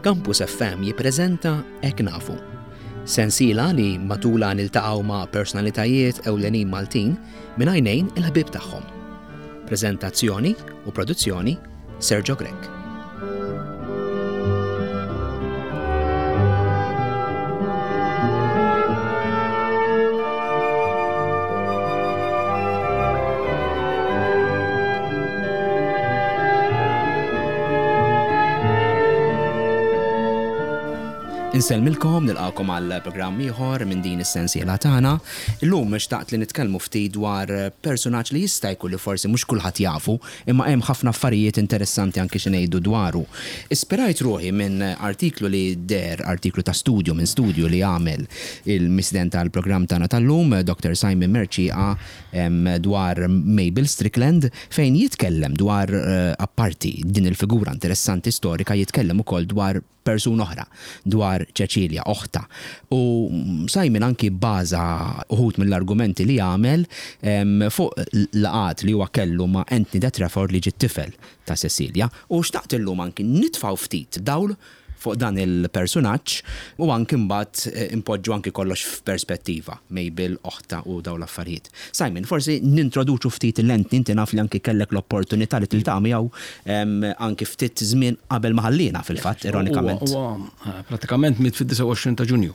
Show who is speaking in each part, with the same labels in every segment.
Speaker 1: Campus FM jippreżenta Hekk Nafu. Sensiela li matulha niltaqgħu ma' personalitajiet ewlenin Maltin minn għajnejn il-ħbieb tagħhom. Preżentazzjoni u produzzjoni Sergio Grech. Insellmilkom, nilqakom għal programm ieħor minn din is-sensiela tagħna. Illum xtaqt li nitkellmu ftit dwar personaġġ li jista' jkun li forsi mhux kulħadd jafu, imma hemm ħafna affarijiet interessanti anki xi ngħidu dwaru. Ispirajt ruħi minn artiklu li deher, artiklu ta' studju minn studju li għamel il-mistieden tal-programm tagħna tal-lum, Dr. Simon Mercieca, dwar Mabel Strickland fejn jitkellem dwar apparti din il-figura interessanti storika jitkellem ukoll dwar persuna oħra, dwar Ċeċilja, oħtha. U Simon anki bbaża uħud mill-argumenti li għamel fuq laqgħat li huwa kellu ma' Anthony de Trafford li ġie t-tifel ta' Cecilia. U xtaqt illum anki nitfgħu ftit dawl fuq dan il-persunaġġ u anki mbagħad inpoġġu anki kollox f'perspettiva, Mabel, oħtha u dawn l-affarijiet. Simon, forsi nintroduċu ftit 'l Anthony, inti naf li anki kellek l-opportunità li tiltaqa' miegħu anki ftit żmien qabel ma ħalliena fil-fatt, ironikament.
Speaker 2: Huwa prattikament miet fid-29 ta' Ġunju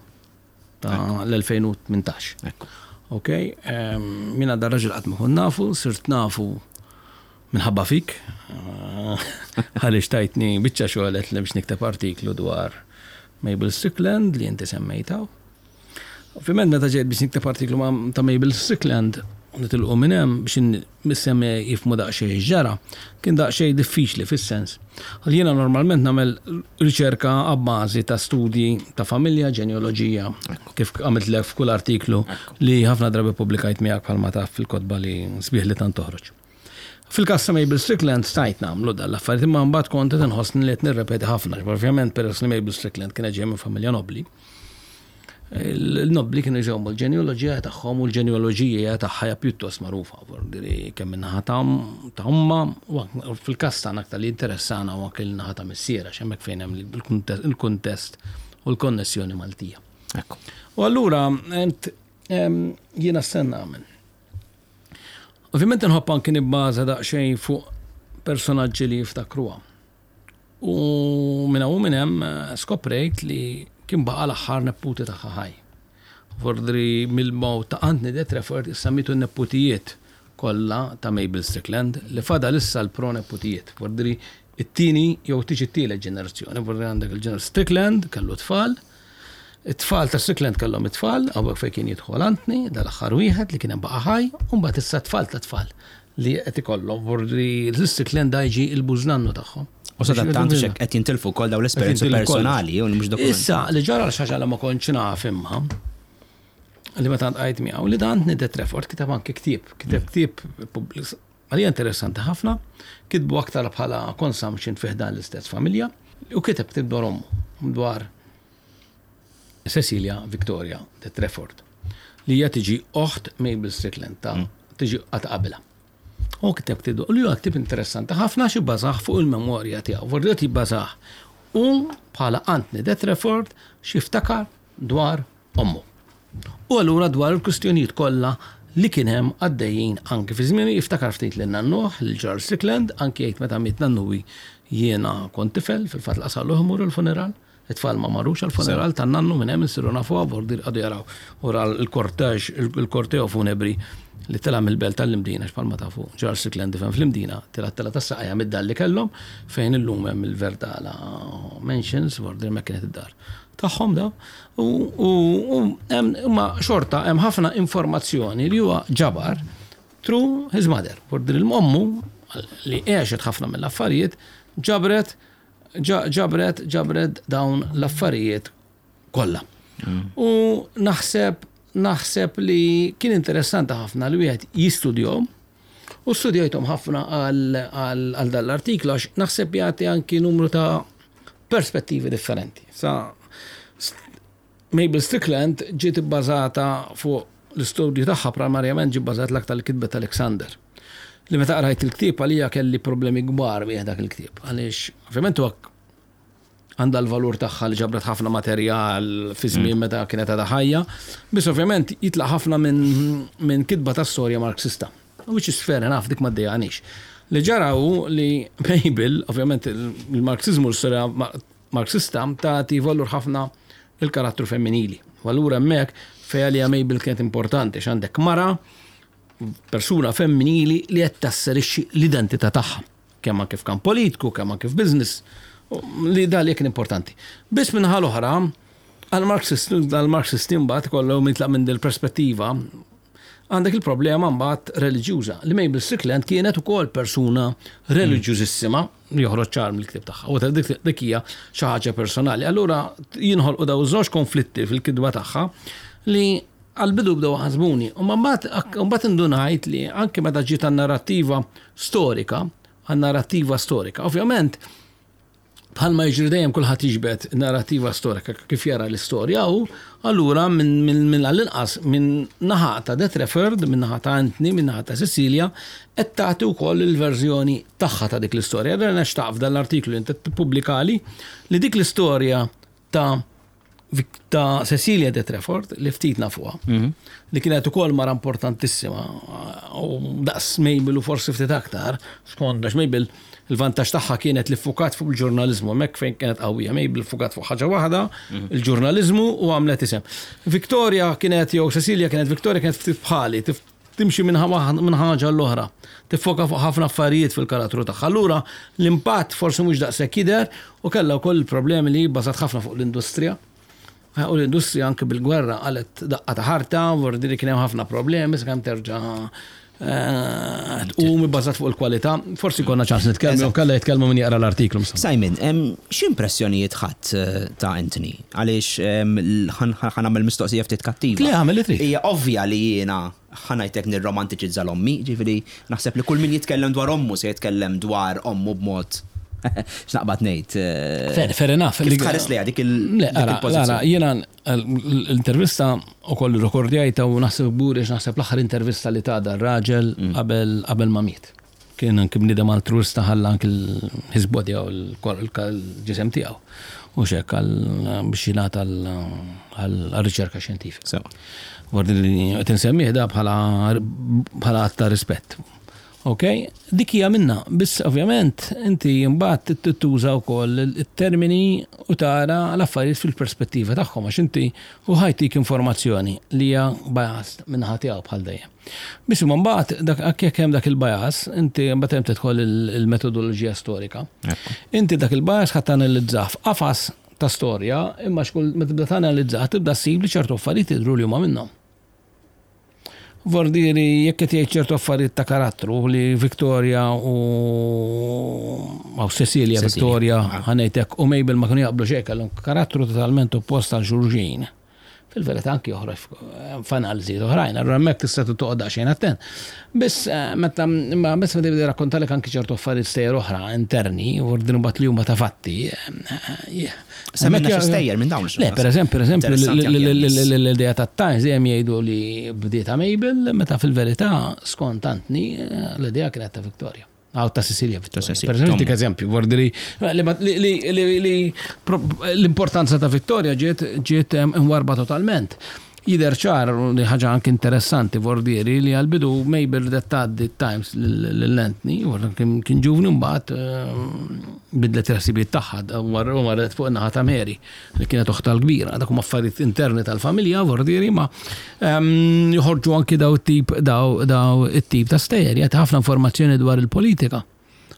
Speaker 2: ta' l-2018.
Speaker 1: Ekku.
Speaker 2: Ok, jiena dar-raġel qatt ma kont nafu, sirt nafu Minħabba fik, għaliex tajtni biċċa xogħol li biex nikteb artiklu dwar Mabel Strickland li inti semmejta. Ovvjament meta ġejt biex nikteb artiklu ta' Mabel Strickland, nitilqu minn hemm biex nissemmi jifmu daqsxejn ġara, kien daqsxejn diffiċli fis-sens. Għal jiena normalment nagħmel riċerka abbażi ta' studji ta' familja, ġenealoġija, kif għamilt f'kull artiklu li ħafna drabi publikajt miegħek bħalma taf fil-kotba li sbieħ li tant toħroġ. Fil-każ ta' Mabel Strickland stajt nagħmlu dan l-affarijiet imma mbagħad kont qed inħossni li qed nirrepeti ħafna. Ovvjament peress li Mabel Strickland kienet ġejja minn familja nobbli. Il-nobbli kienu jżommu l-ġenealoġija tagħhom u l-ġenealoġija tagħha hija pjuttost magħrufa, li kemm min-naħa ta' ommha u fil-każ tagħna aktar li jinteressana huwa anke l-naħa ta' missierha x'hemmhekk fejn hemm il-kuntest u l-konnessjoni Maltija. U allura jiena x'se nagħmel. Ovvjament inħobb anki nibbaża daqsxejn fuq personaġġi li jiftakruha. U minn hawn minn hemm eh, skoprejt li kien baqa' l-aħħar nepputi tagħha ħaj. Vordri mill-mewt ta' Anthony de Trafford issa mietu n-nepputijiet kollha ta' Mabel Strickland li fadal issa l-proneputijiet. Vordri it-tieni jew tiġi t-tielet ġenerazzjoni. Vordri għandek il-ġener Strickland kellu tfal, It-tfal ta' Strickland kellhom it-tfal, hawnhekk fejn kien jidħol Anthony, dal-aħħar wieħed li kien hemm baqa' ħaj, u mbagħad issa t-tfal ta' tfal li qed ikollhom, vorri l-Strickland da jiġi l-bużnannu tagħhom.
Speaker 1: U sadattant xek qed jintilfu wkoll dawn l-esperjenzi personali u mhux dokumenti.
Speaker 2: Issa li ġara xi ħaġa li ma kontx naf imma li meta ltqajt miegħu li dan Anthony de Trafford kiteb anke ktieb, kiteb ktieb għalija interessanti ħafna, kitbu aktar bħala consumption fi ħdan l-istess familja u kiteb ktieb dwar ommu, dwar Cecilia Victoria de Trafford, li hija tiġi oħt Mabel Strickland ta' mm. tiġi għat qabilha. U kiteb ktieb li huwa ktieb interessanti ħafna xi bażah fuq il-memorja tiegħu. Vordiet jibbażah u bħala Anthony de Trafford xi ftakar dwar ommu. U allura dwar il-kwistjonijiet kollha li kien hemm għaddejjin anki fi żmienu jiftakar ftit lil nannuh, lil Charles Strickland, anki jgħid meta miet nannuwi jiena kont tifel, fil-fatt laqas imur il-funeral. It-tfal ma marrux għall-funeral tan-nannu minn hemm insiru nafuha vordi qagħdu jaraw wara l-korteġ, il-korteo funebri li tela' mill-belt tal-Imdina għax bħalma tafu Charles Strickland difen fl-Imdina, tela' t-telgħa tas-saqajja mid-dar li kellhom fejn illum hemm il-Verdala Mansions, vordi hemmhekk kienet id-dar tagħhom daw. U hemm imma xorta hemm ħafna informazzjoni li huwa ġabar through his mother. Vordi li l-ommu li għexet ħafna mill-affarijiet ġabret ġabret ġabret dawn l-affarijiet kollha. Mm. U naħseb naħseb li kien interessanti ħafna li wieħed jistudjahom u studjajthom ħafna għal dan l-artiklu għax naħseb jagħti anki numru ta' perspettivi differenti. Sa Mabel Strickland ġiet ibbażata fuq l-istudju tagħha primarjament ġie bbażat l-aktar li kitbet Alexander. Li meta qrajt il-ktieb għalija kelli problemi kbar bih dak il-ktieb. Għaliex, ovvjament huwa. Għandha l-valur tagħha li ġabret ħafna materjal fi żmien meta kienet għadha ħajja. Biss ovvjament jitlaq ħafna minn kitba ta' storja Marxista. Which is fair enough, dik ma ddejjaqnix. Li ġara hu li Mabel, ovvjament il-Marxiżmu l-istorja Marxista tagħti valur ħafna il-karattru femminili. U allura hemmhekk fejn għalija Mabel kienet importanti x'għandek mara persuna femminili li qed tasserixxi l-identità tagħha. Kemm anke f'kamp politiku, kemm anke f'business, li da li kien importanti. Biss minnaħa l-oħra, għal-Marxisti mbagħad ikollhom jitlaq minn dil-perspettiva għandek il-problema mbagħad reliġjuża li Mabel Strickland kienet ukoll persuna reliġjużissima li joħroġ ċar mill-ktieb tagħha. U dik hija xi ħaġa personali. Allura jinħolqu daw żewġ konflitti fil-kitba tagħha li għal-bidu bdew ħasbuni. U mbagħad indunajt li anke meta ġiet narrattiva storika, għan-narrattiva storika. Ovvjament, bħalma jiġri dejjem kulħadd jiġbed narrattiva storika kif jara l-istorja u allura minn għall-inqas minn naħa ta' De Trafford, minn naħa ta' Anthony, minn naħa ta' Cecilia, qed tagħti wkoll il-verżjoni tagħha ta' dik l-istorja. Allura nixtaq f'dan l-artiklu li inti tippubblikali li dik l-istorja ta' ta' Cecilia de Trafford li ftit nafuha, li kienet ukoll mara importantissima u daqs Mabel u forsi ftit aktar, skont għax Mabel il-vantaġġ tagħha kienet li ffukat fuq il-ġurnaliżmu, hemmhekk fejn kienet qawwija Mabel ffukat fuq ħaġa waħda, il-ġurnaliżmu u għamlet isem. Victoria kienet jew Cecilia kienet Victoria kienet ftit bħali, timxi minn ħaġa l-oħra, tiffoka fuq ħafna affarijiet fil-karattru tagħha. Allura l-impatt forsi mhux daqshekk jidher u kellha wkoll il-problemi li bbażat ħafna fuq l-industrija. U l-industrija anke bil-gwerra qalet daqqa ta' ħarta, vordi li kien hemm ħafna problemi sakemm terġa' tqum ibbażat fuq il-kwalità. Forsi konna ċans nitkellmu, kalla jitkellmu min jaqra l-artiklu.
Speaker 1: Simon, x'impressjonijiet ħadd ta' Anthony? Għaliex ħa nagħmel mistoqsija ftit kattiva.
Speaker 2: Le, għamel li trid.
Speaker 1: Hija ovvja li jiena ħa ngħidlek nirromantiċizza l-ommi, ġifieri naħseb li kull min jitkellem dwar ommu se jitkellem dwar ommu b'mod x'naqbad ngħid.
Speaker 2: Fair, fair enough.
Speaker 1: Kif tħares lejha dik il-pożizzjoni?
Speaker 2: Jiena l-intervista ukoll irrekordjajtha u naħseb kburi għax naħseb l-aħħar intervista li ta dar-raġel qabel ma miet. Kien anki bniedem altruista ħalla anki his body jew il-ġisem tiegħu. U xek għal biex jingħata għal riċerka xjentifika. Vordi li qed insemmih da bħala bħala att ta' rispett. Ok, dik hija minna, biss ovvjament inti mbagħad tuża wkoll it-termini u tara l-affarijiet fil-perspettiva tagħhom għax inti u ħajtik informazzjoni li hija biased min-naħa tiegħu bħal dejjem. Biss imma mbagħad dak jekk hemm dak il-bias, inti mbagħad hemm tidħol il-metodoloġija storika. Inti dak il-bias ħadd tanalizzah f'qafas ta' storja, imma xkull meta tibda tanalizzah tibda ssib li ċertu affarijiet jidhru li huma minnhom. Vordieri jekk qed jgħid ċertu affarijiet ta' karattru li Victoria u aw Cecilia Victoria ħanejtek u Mabel ma kienu jaqblu xejn kellhom karattru totalment oppost għal xulxin. Fil-verità anki joħroġ f'analiżijiet oħrajn, allura hemmhekk tista' toqgħod daqsxejn attent. Biss meta imma biss meta jibda jirrakkontalek anki ċertu affarijiet stejjer oħra interni, u ordinu mbagħad li huma ta' fatti.
Speaker 1: Semminna xi stejjer minn dawn.
Speaker 2: Le, per eżempju, per eżempju, l-idea ta' Times dejjem jgħidu li bdieta Mabel, meta fil-verità skont Anthony l-idea kienet ta' Victoria. Għaw ta' Cecilia Victoria. Per eżempju, dik eżempju, vordi li l-importanza ta' Victoria ġiet ġiet imwarba totalment. Jidher ċar li ħaġa anke interessanti vordieri li għal-bidu Mabel ridet tgħaddi Times lil Anthony, kien ġuvni mbagħad bidlet il-ħsibijiet tagħha u marret fuq in-naħa ta' Mary li kienet oħtha l-kbira. Dak huma affarijiet interni tal-familja vordieri ma joħorġu anki daw it-tip daw it-tip ta' stejjer jagħti ħafna informazzjoni dwar il-politika.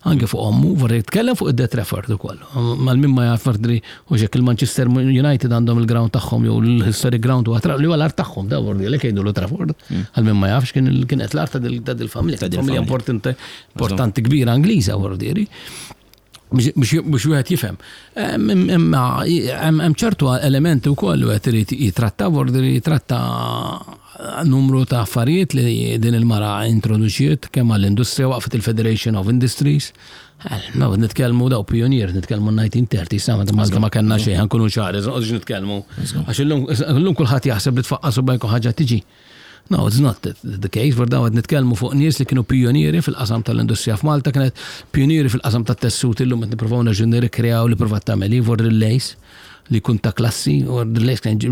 Speaker 2: Anke fuq ommu, vorri jitkellem fuq id-De Trafford ukoll. Mal-min ma jaf vordi u xek il-Manchester United għandhom il-ground tagħhom jew l-historic ground huwa li huwa l-art tagħhom da vordi li jgħidu Trafford. Għal min ma jafx kien kienet l-art ta' dil-familja, familja importanti importanti kbira Ingliża vordieri. Biex wieħed jifhem. Imma hemm ċertu elementi wkoll li wieħed irid jitratta vordi jitratta numru ta' affarijiet li din il-mara introduċiet kemm għall-industrija waqfet il-Federation of Industries. No, nitkellmu daw pionier, nitkellmu 1930, sa meta Malta ma kellna xejn, ħankunu ċari, noqgħodux nitkellmu. Għax illum kulħadd jaħseb li tfaqqas u bajku ħaġa tiġi. No, it's not the case, for dawn qed nitkellmu fuq nies li kienu pionieri fil-qasam tal-industrija f'Malta, kienet pionieri fil-qasam tat-tessuti llum qed nippruvaw nerġgħu nirrikreaw li provat tagħmel hi for il-lace li jkun ta' klassi, u l-lace kien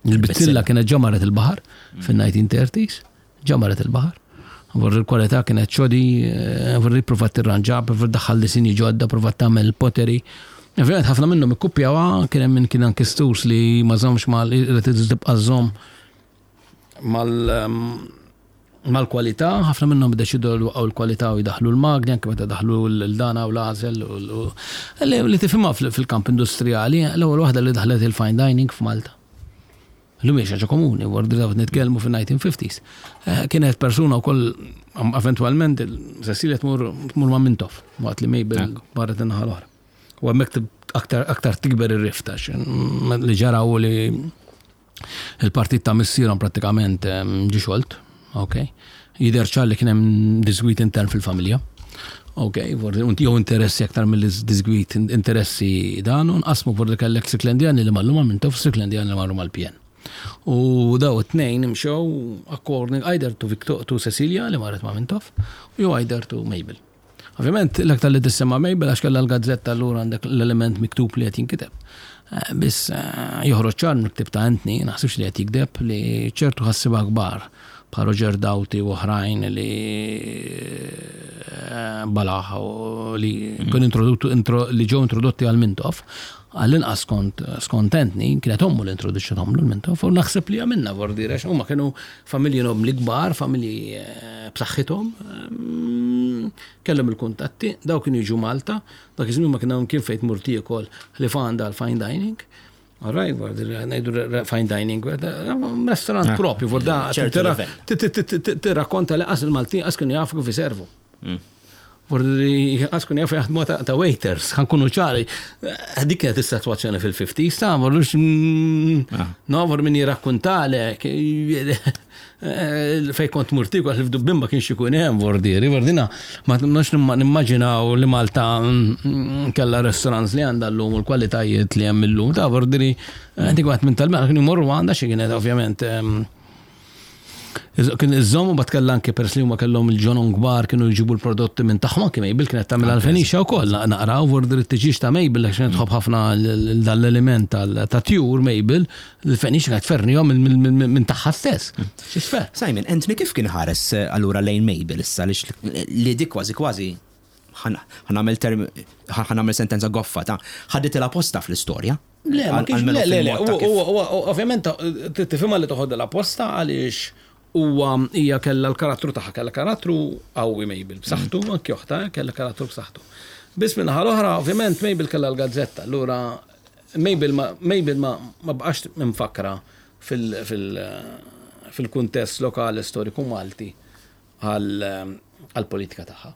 Speaker 2: il-bizzilla kienet ġa marret il-baħar fin-1930s, ġa marret il-baħar. Vor il-kwalità kienet xodi, eh, vor provat tirranġa, provat daħħal disinji ġodda, provat tagħmel poteri. Ovvjament ħafna minnhom ikkupjawha, kien hemm min kien anki stus li ma żommx mal irid tibqa' żomm mal mal-kwalità, ħafna minnhom iddeċidew li waqgħu l-kwalità u jdaħħlu l-magni, anke meta daħlu l-dana u l-għażel li tifhimha fil-kamp industrijali, l-ewwel waħda li daħlet il-fine dining f'Malta. Illum hija xi ħaġa komuni, wara li nitkellmu fin-1950s. Eh, kienet persuna wkoll eventwalment Cecilia tmur tmur ma' Mintoff waqt li Mabel marret in-naħa l-oħra. U hemmhekk aktar aktar tikber ir-rifta li ġara u li il-partit ta' missierhom prattikament ġie xolt, ok. Jidher ċar li kien hemm disgwid intern fil-familja. Ok, jew interessi aktar mill disgwid interessi dan, u nqasmu vordi kellek Stricklandjani li marru ma' Mintoff, Stricklandjani li marru mal-PN. U daw it-tnejn imxew according either to, Victor, to Cecilia li marret ma' Mintoff, jew either to Mabel. Ovvjament, l-aktar li tissemma Mabel għax kellha l-gazzetta allura għandek l-element miktub li qed jinkiteb. Eh, biss eh, joħroġ ċar mill-ktib ta' Anthony, naħsibx li qed jikdeb li ċertu ħassiba kbar bħal Roger Doughty u oħrajn li eh, balaħ u li mm. kienu li ġew introdotti għal Mintoff, għall-inqas skont skont Anthony, kienet ommu li introduċċathom lil Mintoff u naħseb li għamilna vordi għax huma kienu familji nobli kbar, familji eh, b'saħħithom, mm, kellhom il-kuntatti, daw kienu jiġu Malta, dak iż-żmien ma kien hawn kien fejn tmur tiekol li għandha l-fine dining. Alright, ngħidu fine dining, restaurant ah, propju, vorda tirrakkonta li qas il-Maltin qas kienu jafu kif iservu. Mm. Vordi qas kienu jafu jaħdmu ta' waiters, ħankunu ċari. Eh, dik kienet is-sitwazzjoni fil-50s, ta' vordu mm, ah. no, vor min jirrakkuntalek eh, fej kont murti għax f'Dubbin ma kienx ikun hemm vordieri, vordina ma nux nimmaġinaw li Malta mm, kellha restaurants li għandha llum u l-kwalitajiet li hemm illum ta' vordieri eh, dik waħed minn tal-mela kienu jmorru għandha xi kienet ovvjament Kien iżżomm u bat kellha anke peress li huma kellhom il-ġonon kbar kienu jġibu l-prodotti minn tagħhom anke Mabel kienet tagħmel għal-Fenicia wkoll naqraw vordir it-tiġieġ ta' Mabel għax kienet tħobb ħafna dal-element ta' tjur Mabel, il-Fenicia kienet tfernihom minn tagħha stess.
Speaker 1: X'isfer. Simon, Anthony kif kien ħares eh, allura lejn Mabel issa li dik kważi kważi ħanamel term ħanamel sentenza goffa ta' ħaditilha posta fl-istorja.
Speaker 2: Le, ma kienx, le, le, le, ovvjament tifhimha li toħodha posta għaliex huwa hija kellha l-karattru tagħha, kellha karattru qawwi Mabel, b'saħħtu, mm. anki oħta eh, kellha karattru b'saħħtu. Biss minn l-oħra, ovvjament Mabel kellha l-gazzetta, allura Mabel ma Mabel ma ma bqax mfakkra fil-kuntest lokali storiku Malti għall-politika tagħha.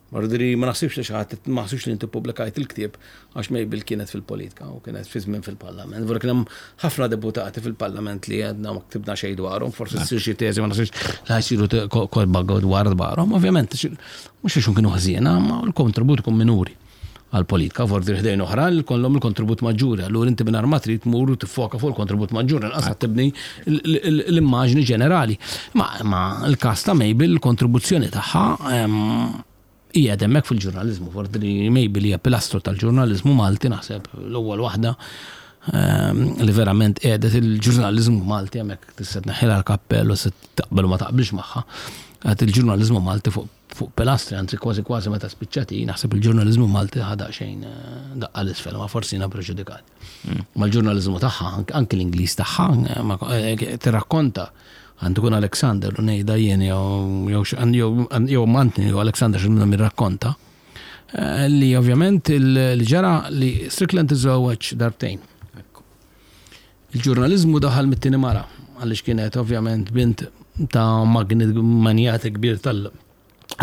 Speaker 2: Mordiri, ma naħsibx li xi ħadd, ma naħsibx li inti ppubblikajt il-ktieb għax Mabel kienet fil-politika u kienet fi żmien fil-Parlament. Vera kien hemm ħafna deputati fil-Parlament li għedna ma ktibna xejn dwarhom, forsi ssir xi teżi ma naħsibx li ħajsiru kotba dwar dwarhom, ovvjament mhux għax kienu ħżiena, ma l-kontribut ikun minuri għall-politika, forsi ħdejn oħra li kollhom il-kontribut maġġuri, allura inti mingħajr ma trid tmur u tiffoka fuq il-kontribut maġġuri, inqas qed tibni l-immaġni ġenerali. Ma l-każ ta' Mabel, il-kontribuzzjoni tagħha hija hemmhekk fil-ġurnaliżmu, forsi li Mabel hija pilastru tal-ġurnaliżmu Malti naħseb l-ewwel waħda li verament qiegħdet il-ġurnaliżmu Malti hemmhekk tista' tneħħilha l-kappell u se taqbel u ma taqbilx magħha. Għad il-ġurnaliżmu Malti fuq fuq pilastri, anzi kważi kważi meta spiċċat hi, naħseb il-ġurnaliżmu Malti ħa daqsxejn eh, daqqa l-isfel, ma forsi jiena preġudikat. Mm. Ma l-ġurnaliżmu tagħha, anki l-Ingliż tagħha, eh, eh, tirrakkonta għandu kun Alexander u ngħidha jien jew Mantni jew Alexander xi minnhom jirrakkonta li ovvjament li ġara li Strickland iżewweġ darbtejn. Il-ġurnaliżmu daħal mit-tieni mara, għaliex kienet ovvjament bint ta' magnit manjat kbir tal-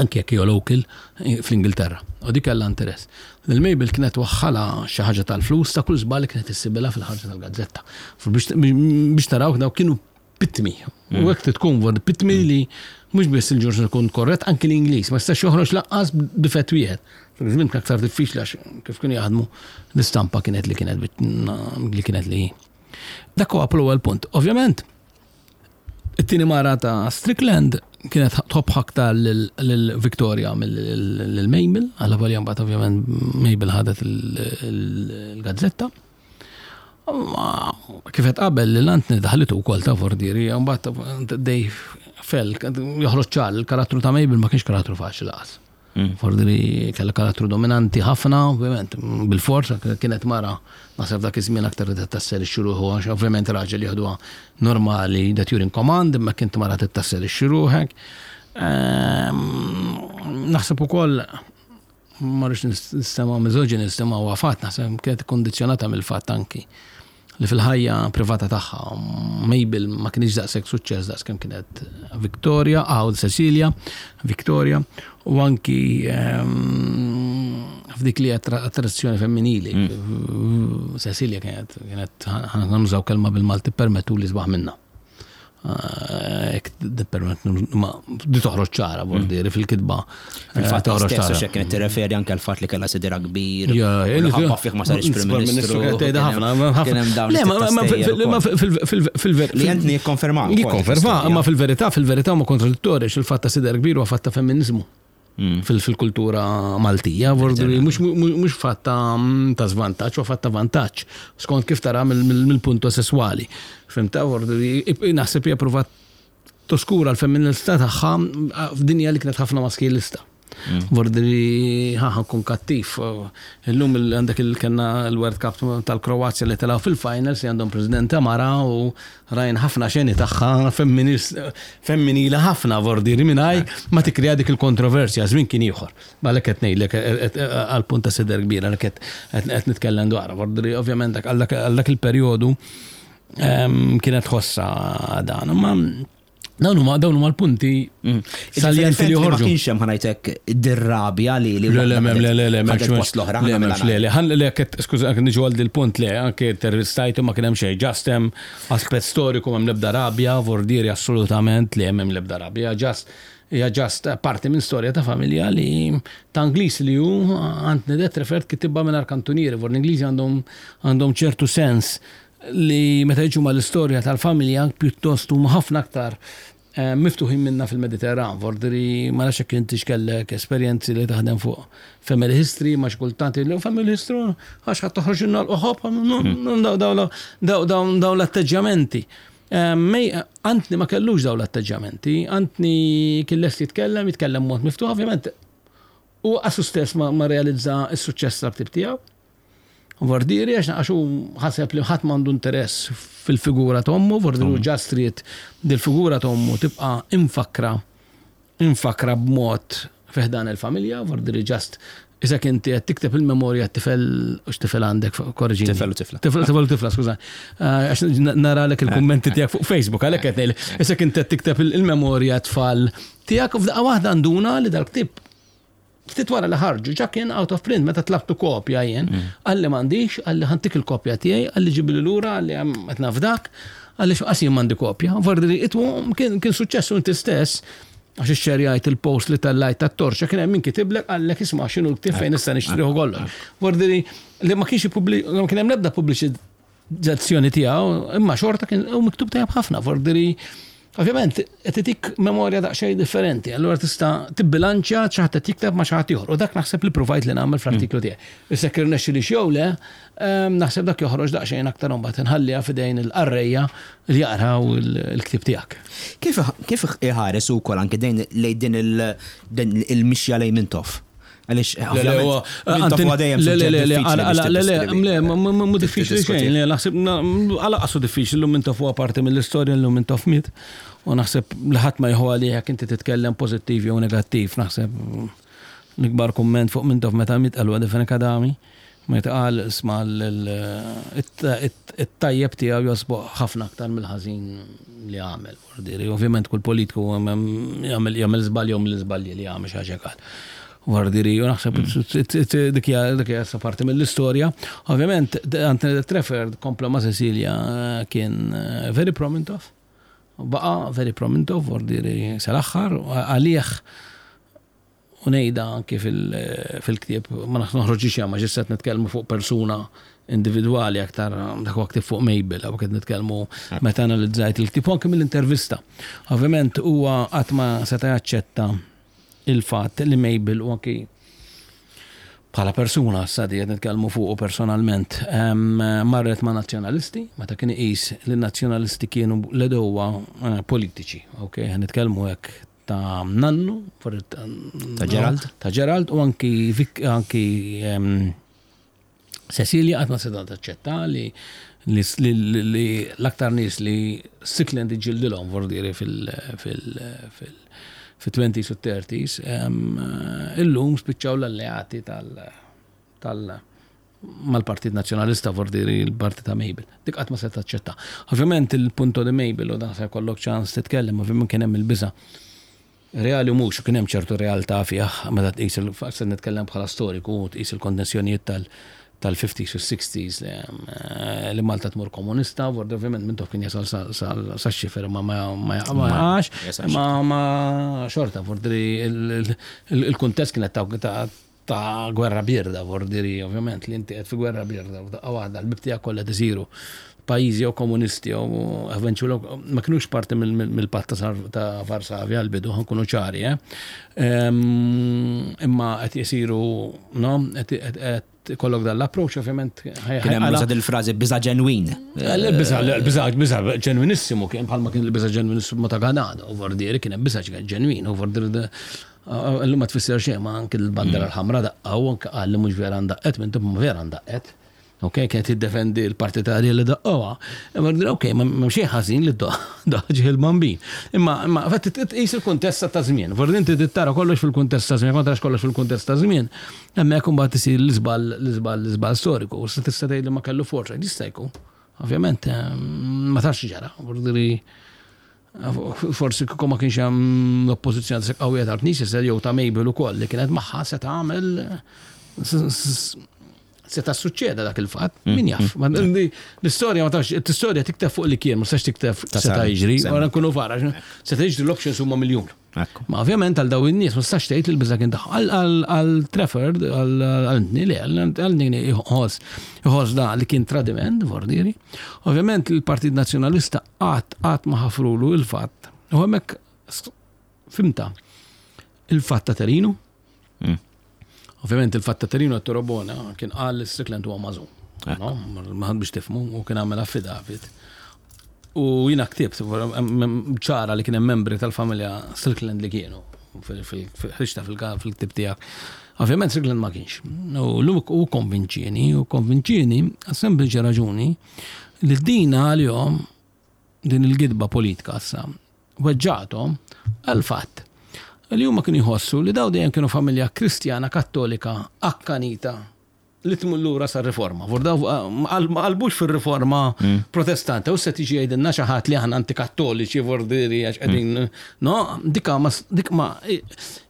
Speaker 2: anke jekk hija local fl-Ingilterra. U dik kellha interess. Lil Mabel kienet waħħalha xi ħaġa tal-flus ta' kull żball li kienet issibilha fil-ħarġa tal-gazzetta. Biex taraw dawk kienu pitmi. U mm. hekk tkun vor pitmi mm. li mhux biss il-ġurnal ikun korrett, anki l-Ingliż ma jistax joħroġ laqqas b'difett wieħed. Fil-żmien kien aktar diffiċli għax kif kienu jaħdmu l-istampa kienet li kienet li kienet li. Dak huwa l-ewwel punt. Ovvjament, It-tieni mara ta' Strickland kienet tħobb aktar lil Victoria mill Mabel, għalla volja mbagħad ovvjament Mabel ħadet il-gazzetta. Kif qed qabel li l-Antni daħlitu wkoll ta' Vordieri, mbagħad dej fell, joħroġ ċar, il-karattru ta' Mabel ma kienx karattru faċli laqas. Forsi kellha karattru dominanti ħafna, ovvjament, bil-fors, kienet mara, naħseb dak iż-żmien aktar li tasserixxi ruħu, għax ovvjament raġel jieħduha normali that you're in command, imma kint mara tittasserixxi ruħek. Naħseb ukoll ma rridx nistema' misoġinist imma huwa fatt, naħseb kienet ikkundizzjonata mill-fatt anki li fil-ħajja privata tagħha Mabel ma kienx daqshekk suċċess daqs kemm kienet Victoria, aw Cecilia, Victoria, u anki f'dik li attrazzjoni femminili. Cecilia kienet kienet ħa kelma bil-Malti permettu li sbaħ minna. Ek ma di toħroġ ċara vordieri fil-kitba.
Speaker 1: Fil-fatt toħroġ ċara. Xek kienet tirreferi anke l-fatt li kellha sidira kbir. Ħabba fih ma sarix Prim Ministru.
Speaker 2: Ħafna. Le, ma fil-verità.
Speaker 1: Li Anthony jikkonferma.
Speaker 2: Jikkonferma, imma fil-verità, fil-verità ma kontradittorji il-fatt ta' sider kbir huwa fatt ta' femminizmu. Fil-kultura Maltija, mhux fatt ta' żvantaġġ, huwa fatt ta' vantaġġ, skont kif tara mill-punto sesswali. Fimta, naħseb hija provat toskura l-femminilità tagħha f'dinja li kienet ħafna maskilista. Vordiri ħa nkun kattiv. Illum għandek il-kellna l-World Cup tal-Kroazja li telgħu fil-finals li għandhom presidenta mara u rajn ħafna xeni tagħha femminila ħafna vordiri mingħajr ma tikrea dik il-kontroversja, żmien kien ieħor. Għalhekk qed ngħidlek għal punt ta' sider kbira li qed nitkellem dwar. Vordiri ovvjament għal dak il-perjodu kienet ħossa dan. Ma dawn huma dawn huma l-punti
Speaker 1: saljenti li joħorġu. Ma kienx hemm ħanajtek dir-rabja li
Speaker 2: li Le le le le le m'hemmx post l-oħra. Le m'hemmx le le ħan le skuża niġu għal dil-punt le anke intervistajtu ma kien hemm xejn just hemm aspett storiku m'hemm l-ebda rabja, vordieri assolutament li hemm l-ebda rabja, just hija just parti minn storja ta' familja li ta' Ingliż li hu Anthony de Treffert kitibha mingħajr kantunieri, vor l-Ingliżi għandhom għandhom ċertu sens li meta jiġu mal-istorja tal-familja pjuttost huma ħafna aktar miftuħin minna fil-Mediterran. Vordiri ma nafx jekk inti x'kellek esperjenzi li taħdem fuq family history, ma xi kultant li family history għax ħadd toħroġ ilna l-qoħob, dawn l-atteġġjamenti. Anthony ma kellux dawn l-atteġġjamenti, Anthony kien lest jitkellem, jitkellem mod miftuħ, ovvjament u qasu stess ma realizza s-suċċess tal-ktib tiegħu. Vordieri għax għax hu ħaseb li ħadd m'għandu interess fil-figura ta' ommu, Vordieri hu ġast ried dil-figura ta' ommu tibqa' imfakkra imfakkra b'mod fi ħdan il-familja, Vordieri ġast isek inti qed tikteb il-memorja t-tifel u x'tifel għandek, korriġini.
Speaker 1: Tifel u tifla.
Speaker 2: Tifel u tifla, skuża. Għax naralek il-kummenti tiegħek fuq Facebook, għalhekk qed ngħidlek. Isek inti qed tikteb il-memorja tfal tiegħek u f'daqqa waħda nduna li dal-ktieb Ftit wara li ħarġu, ġa kien out of print, meta tlabtu kopja jien, qalli m'għandix, qalli ħantik il-kopja tiegħi, qalli ġibli lura, qalli qed nafdak, qalli x'qas jien m'għandi kopja. Vordi itwu kien suċċess u inti stess, għax ixxerjajt il-post li tellajt tat-torċa, kien hemm min kitiblek qallek isma' x'inhu l-ktieb fejn nista' nixtrih u kollox. Vordi li ma kienx ma kien hemm l-ebda pubbliċizzazzjoni tiegħu, imma xorta kien u miktub tajjeb ħafna, vordi Ovvjament, qed itik memorja daqsxejn differenti, allura tista' tibbilanċja xi ħadd qed jikteb ma' xi ħadd ieħor. U dak naħseb li provajt li nagħmel fl-artiklu tiegħi. Issa jekk irnexxilix jew le, naħseb dak joħroġ daqsxejn aktar imbagħad inħalliha f'idejn il-qarrejja li jaqraw il-ktieb tiegħek.
Speaker 1: Kif kif iħares ukoll anke lejn din il-mixja lejn Mintoff? Għaliex, ovvjament, Mintoff huwa dejjem suġġett diffiċli biex
Speaker 2: Le, le, le, mhu diffiċli xejn, le, naħseb, għala qasu diffiċli, llum Mintoff huwa parti mill-istorja, llum Mintoff miet, u naħseb li ħadd ma jieħu għalih jekk inti titkellem pożittiv jew negattiv, naħseb l-ikbar kumment fuq Mintoff meta miet qalu għadha Fenech Adami, meta qal isma' it-tajjeb tiegħu josboq ħafna aktar mill-ħażin li għamel. Vordiri, ovvjament kull politiku jagħmel jagħmel żball jew mill-iżbalji li jagħmel xi ħaġa qal. Vordiri, u naħseb dik hija dik hija sa parti mill-istorja. Ovvjament Anthony de Treffert kompla ma' Cecilia kien very pro-Mintoff. Baqa' very pro-Mintoff, vordiri sal-aħħar, għalih. U ngħidha anki fil-ktieb, ma noħroġx ma ġisset nitkellmu fuq persuna individwali aktar dak huwa ktieb fuq Mabel, hawn qed nitkellmu meta analizzajt il-ktieb u anki mill-intervista. Ovvjament huwa qatt ma seta' jaċċetta il-fatt li Mabel u anki bħala persuna issa di qed nitkellmu fuqu personalment marret ma' nazzjonalisti meta kien iqis li n-nazzjonalisti kienu l-għedewwa eh, politiċi. Ok, nitkellmu hekk ta' nannu,
Speaker 1: ta' Gerald,
Speaker 2: ta' Gerald u anki anki Cecilia qatt ma seta' taċċetta li li l-aktar nies li Strickland iġġildilhom vordiri fil-20s u 30s, illum spiċċaw l-alleati tal mal-Partit Nazzjonalista vordiri l-parti ta' Mabel. Dik qatt ma se taċċetta. Ovvjament il-punto di Mabel u dan se jkollok ċans titkellem, ovvjament kien hemm il-biża' Reali u mhux, kien hemm ċertu realtà fih meta tqis il se nitkellem bħala storiku u tqis il-kondensjonijiet tal-50s u 60s li Malta tmur komunista, ovvjament Mintoff kien jasal sax-xifer ma ma jaqax, ma xorta vordri il-kuntest kienet ta' gwerra bierda, vordiri, ovvjament, li inti qed fi gwerra bierda, u daqqa waħda l-bib tiegħek kollha isiru pajjiżi jew komunisti jew eventually ma kinux parti mill-patt ta' Varsavja għall-bidu, ħankunu ċari, eh? Imma qed isiru, no, qed ikollok dan l-approach, ovvjament.
Speaker 1: Kien hemm użat il-frażi biża' ġenwin.
Speaker 2: Il-biża' biża' biża' ġenwinissimu kien bħalma kien il-biża' ġenwinissimu ta' Ganado, u vordieri kien hemm biża' ġenwin, u vordieri Illum ma tfisser xejn ma anke l-bandera mm. l-ħamra daqqa u anke qal li mhux vera ndaqqet minn tibma vera ndaqqet. Ok, kienet jiddefendi l-partitarji li daqqoha. Imma ok, ma xejn ħażin li daħġi il-bambin. Imma imma fatt tqis il-kuntest ta' żmien. Forsi inti tara kollox fil-kuntest ta' żmien, ma tarax kollox fil-kuntest ta' żmien. Hemmhekk imbagħad isir l-iżball l-iżball l-iżball storiku. U tista' tgħid li ma kellu forza, jista' jkun. Ovvjament, eh, ma tafx ġara. Forsi kieku ma kienx hemm l-oppożizzjoni ta' qawwija tal-Knisja se jew ta' Mabel ukoll li kienet magħha se tagħmel se ta' suċċeda dak il-fatt, mm, min jaf. Mm. L-istorja ma tafx, l-istorja tikteb fuq li kien, ma tistax tikteb se ta' jiġri, wara nkunu fara, se ta' jiġri l-options huma miljun. Ma ovvjament għal daw in-nies ma tistax tgħid li l-biża' kien tagħhom. Għal Trafford, għal Anthony, le, għal Anthony jħoss jħoss da li kien tradiment, vordieri. Ovvjament il-Partit Nazzjonalista qatt qatt ma ħafrulu il-fatt. U hemmhekk fimta il-fatt ta' Terinu. Mm. Ovvjament il-fatt ta' Terinu għat Torobona kien qal li Strickland huwa mażum. No, ma biex tifmu u kien għamel affidavit. U jina ktibt, ċara li kien hemm membri tal-familja Strickland li kienu fil-ħriġta fil-ktib tiegħek. Ovvjament Strickland ma kienx. U l u konvinċieni, u konvinċieni għas sempliċi raġuni li din għalihom din il-gidba politika issa weġġathom għall-fatt li huma kienu jħossu li daw dejjem kienu familja Kristjana Kattolika akkanita li tmur lura sar-riforma. Daw ma qalbux fir-riforma mm. protestanta u se tiġi jgħidilna xi ħadd li aħna antikattoliċi vordiri għax qegħdin mm. no, dika ma dik ma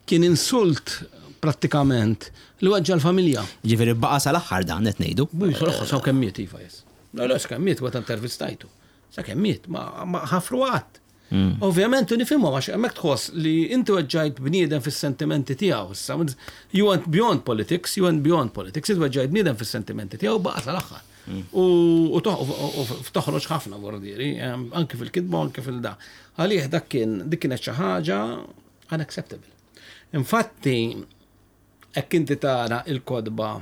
Speaker 2: kien insult prattikament li weġġa' l-familja.
Speaker 1: Ġifieri baqa' sal-aħħar dan qed ngħidu.
Speaker 2: Mhux sal-aħħar sa kemm miet iva jes. La la sakemm miet weta intervistajtu. Sakemm miet ma ħafru qatt. Mm. Ovvjament nifhimhom għax hemmhekk tħoss li inti weġġajt bniedem fis-sentimenti tiegħu. Issa you went beyond politics, you went beyond politics, inti weġġajt bniedem fis-sentimenti tiegħu baqa' sal-aħħar. Mm. U toħroġ ħafna vordieri, anki fil-kitba anki fil-da. Għalih dak kien dik kienet xi ħaġa unacceptable. Infatti, Hekk inti tara il-kotba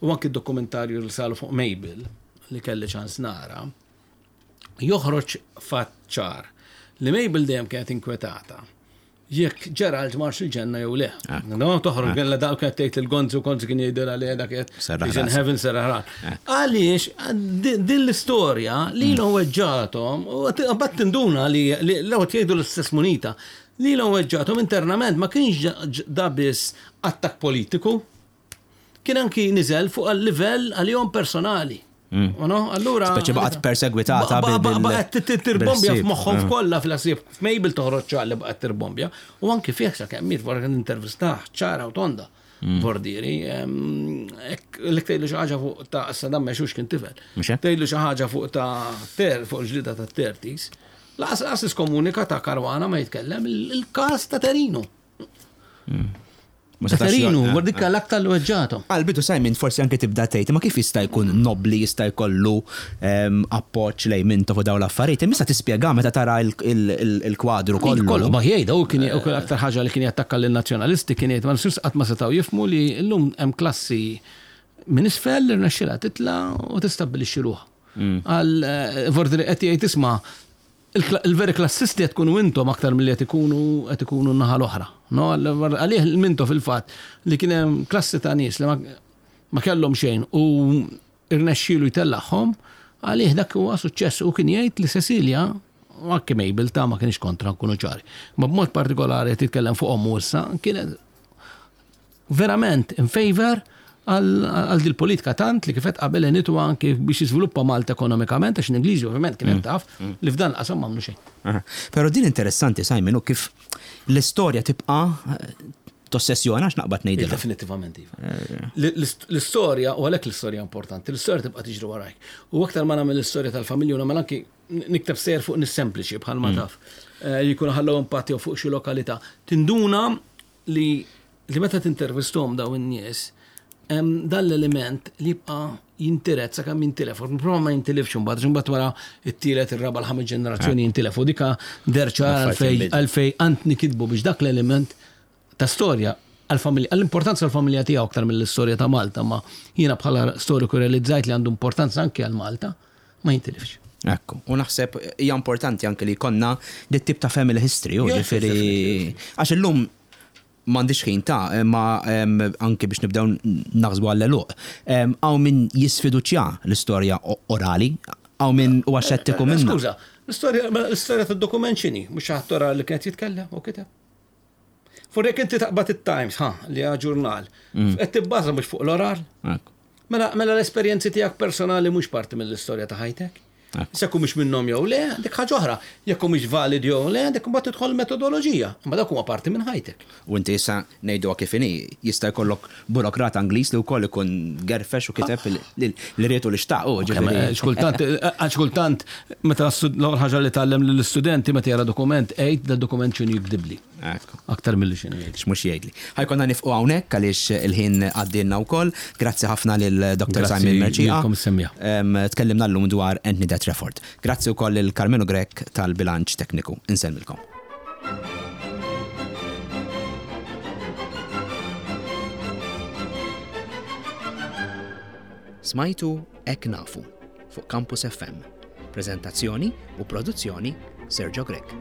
Speaker 2: u anki d-dokumentarju li saru fuq Mabel li kelli ċans nara, joħroġ fatt ċar li Mabel dejjem kienet inkwetata jekk Gerald marx il-ġenna jew le. Ah. No, toħroġ ah. kella dawk kienet tgħid il-Gonzi u Gonzi kien jgħidilha li dak qed in heaven serraħran. Ah. Għaliex din l-istorja li mm. weġġathom u bat tinduna li l-ewwel jgħidu l-istess munita Lilhom weġġgħathom internament ma kienx da biss attakk politiku, kien anki niżel fuq livell għalihom personali. Mm. No? Allura.
Speaker 1: Speċi baqgħet persegwitata.
Speaker 2: Baqgħet tirbombja f'moħħhom mm. kollha fil-ħsieb. F'Mabel toħroġ ċar li baqgħet tirbombja. U anki fih sa kemm miet wara kien intervistah ċara u tonda. Mm. Vordiri, l tgħidlu xi ħaġa fuq ta' Saddam Mexux kien tifel. Tgħidlu xi ħaġa fuq ta' ter fuq ġlida ta' tertis. Laqas laqas iskomunika ta' Caruana ma jitkellem il-każ ta' Terino.
Speaker 1: Hmm.
Speaker 2: Katerinu, dik l-aktar li weġġathom.
Speaker 1: Għal-bidu Simon forsi anke tibda tgħid, ma kif jista' jkun nobli jista' jkollu appoġġ lejn Mintoff u dawn l-affarijiet, imma issa tispjega meta tara il-kwadru kollu.
Speaker 2: Kollu, ma jgħidha, u kien aktar ħaġa li kien jattakka lin-nazzjonalisti kien jgħid ma nistgħux qatt ma setgħu jifhmu li llum hemm klassi minn isfel li rnexxilha titla' u tistabbilixxi ruħha. Għal Vordri qed jgħid isma' Il-veri klassisti qed tkunu intom aktar milli qed ikunu qed ikunu n-naħa l-oħra. No, għalih minto fil-fatt li kien hemm klassi ta' nies li ma kellhom xejn u irnexxielu jtellagħhom, għalih dak huwa suċċess u kien jgħid li Cecilia u anke Mabel ta' ma kienx kontra nkunu ċari. Ma b'mod partikolari qed jitkellem fuq ommu issa, kienet verament in favor għal dil politika tant li kifet qabel għenitu anki biex jiżviluppa Malta ekonomikament, għax l-Ingliżi ovvjament kienet mm. taf mm. li f'dan qasam m'għamlu xejn.
Speaker 1: Però din interessanti Simon u kif l-istorja tibqa' eh, tossessjona għax naqbad ngħidilha.
Speaker 2: Definitivament iva. Eh. L-istorja u għalhekk l-istorja importanti, l-istorja tibqa' tiġri warajk. U aktar ma nagħmel l-istorja tal-familja u nagħmel anki nikteb sejjer fuq nis sempliċi bħal ma mm. taf. Eh, li jkunu ħallew impatti fuq xi lokalità. Tinduna li li meta tintervisthom dawn in-nies, hemm dan l-element li jibqa' jintiret sakemm jintilef. Prova ma jintilifx imbagħad, għax imbagħad wara t-tielet, ir-raba', l-ħames ġenerazzjoni jintilef. U dika deher ċar għalfejn Antni kitbu biex dak l-element ta' storja għall-familja, għall-importanza għall-familja tiegħu aktar mill-istorja ta' Malta, ma jiena bħala storiku realizzajt li għandu importanza anke għal Malta, ma jintilifx.
Speaker 1: Ekku, u naħseb hija importanti anke li jkollna dit tip ta' family history, u ġifieri għax illum m'għandix ħin ta' imma anke biex nibdew naħsbu għall-għeluq. Hawn min jisfiduċja l-istorja orali, hawn min huwa xettiku minnha.
Speaker 2: Skuża, l-istorja tad-dokument x'inhi? Mhux xi ħadd orali li kien qed jitkellem u kiteb? Fuq jekk inti taqbad it-Times, ha, li hija ġurnal, mm. qed tibbaża mhux fuq l-oral. Mela, mela l-esperjenzi tiegħek personali mhux parti mill-istorja ta' ħajtek. Jekk mhux minnhom jew le, dik ħaġa oħra. Jekk mhux valid jew le, dik imbagħad tidħol metodoloġija. Imma dak huma parti minn ħajtek.
Speaker 1: U inti issa ngħiduha kif inhi, jista' jkollok burokrat Angliż li wkoll ikun gerfex u kiteb li ried u li xtaq hu,
Speaker 2: ġifieri. Xkultant, għax kultant meta l-ewwel ħaġa li tgħallem lill-istudenti meta jara dokument, għid dad-dokument x'inhu jikdibli. Aktar milli x'inhu
Speaker 1: jgħidli. X'mhux jgħidli. Ħa jkollna nifqu hawnhekk għaliex il-ħin għaddielna wkoll. Grazzi ħafna lil Dr. Simon Mercieca.
Speaker 2: Grazzi lilkom is-semmiegħa.
Speaker 1: Tkellimna llum dwar Anthony de Trafford. Grazzi wkoll lil Karmenu Grech tal-bilanċ tekniku. Insellmilkom. Smajtu Hekk Nafu fuq Campus FM. Preżentazzjoni u produzzjoni Sergio Grech.